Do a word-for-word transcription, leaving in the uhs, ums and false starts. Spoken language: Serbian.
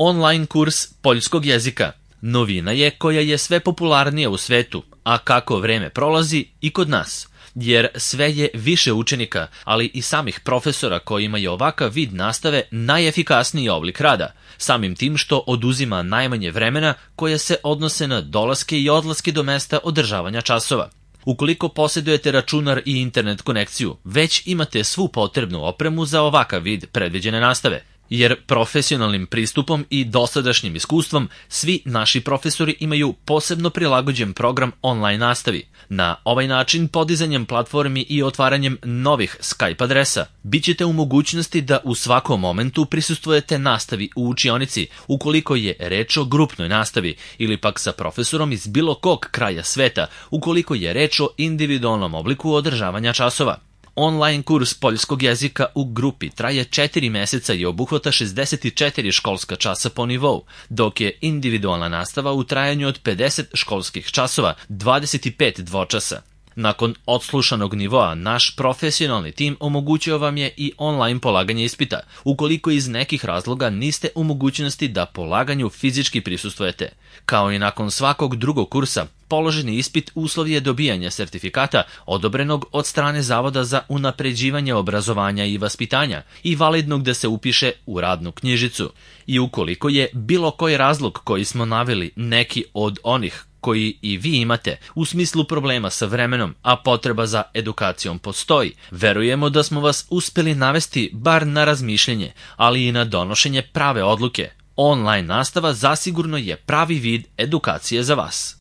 Online kurs poljskog jezika. Novina je koja je sve popularnija u svetu, a kako vreme prolazi i kod nas. Jer sve je više učenika, ali i samih profesora kojima je ovakav vid nastave najefikasniji oblik rada, samim tim što oduzima najmanje vremena koje se odnose na dolaske i odlaske do mesta održavanja časova. Ukoliko posjedujete računar i internet konekciju, već imate svu potrebnu opremu za ovakav vid predviđene nastave. Jer profesionalnim pristupom i dosadašnjim iskustvom svi naši profesori imaju posebno prilagođen program online nastavi. Na ovaj način, podizanjem platformi i otvaranjem novih Skype adresa, bit ćete u mogućnosti da u svakom momentu prisustvujete nastavi u učionici, ukoliko je reč o grupnoj nastavi, ili pak sa profesorom iz bilo kog kraja sveta, ukoliko je reč o individualnom obliku održavanja časova. Online kurs poljskog jezika u grupi traje četiri meseca i obuhvata šezdeset četiri školska časa po nivou, dok je individualna nastava u trajanju od pedeset školskih časova, dvadeset pet dvočasa. Nakon odslušanog nivoa, naš profesionalni tim omogućio vam je i online polaganje ispita, ukoliko iz nekih razloga niste u mogućnosti da polaganju fizički prisustvujete. Kao i nakon svakog drugog kursa, položeni ispit uslov je dobijanja sertifikata odobrenog od strane Zavoda za unapređivanje obrazovanja i vaspitanja i validnog da se upiše u radnu knjižicu. I ukoliko je bilo koji razlog koji smo naveli neki od onih koji i vi imate u smislu problema sa vremenom, a potreba za edukacijom postoji, verujemo da smo vas uspeli navesti bar na razmišljanje, ali i na donošenje prave odluke. Online nastava zasigurno je pravi vid edukacije za vas.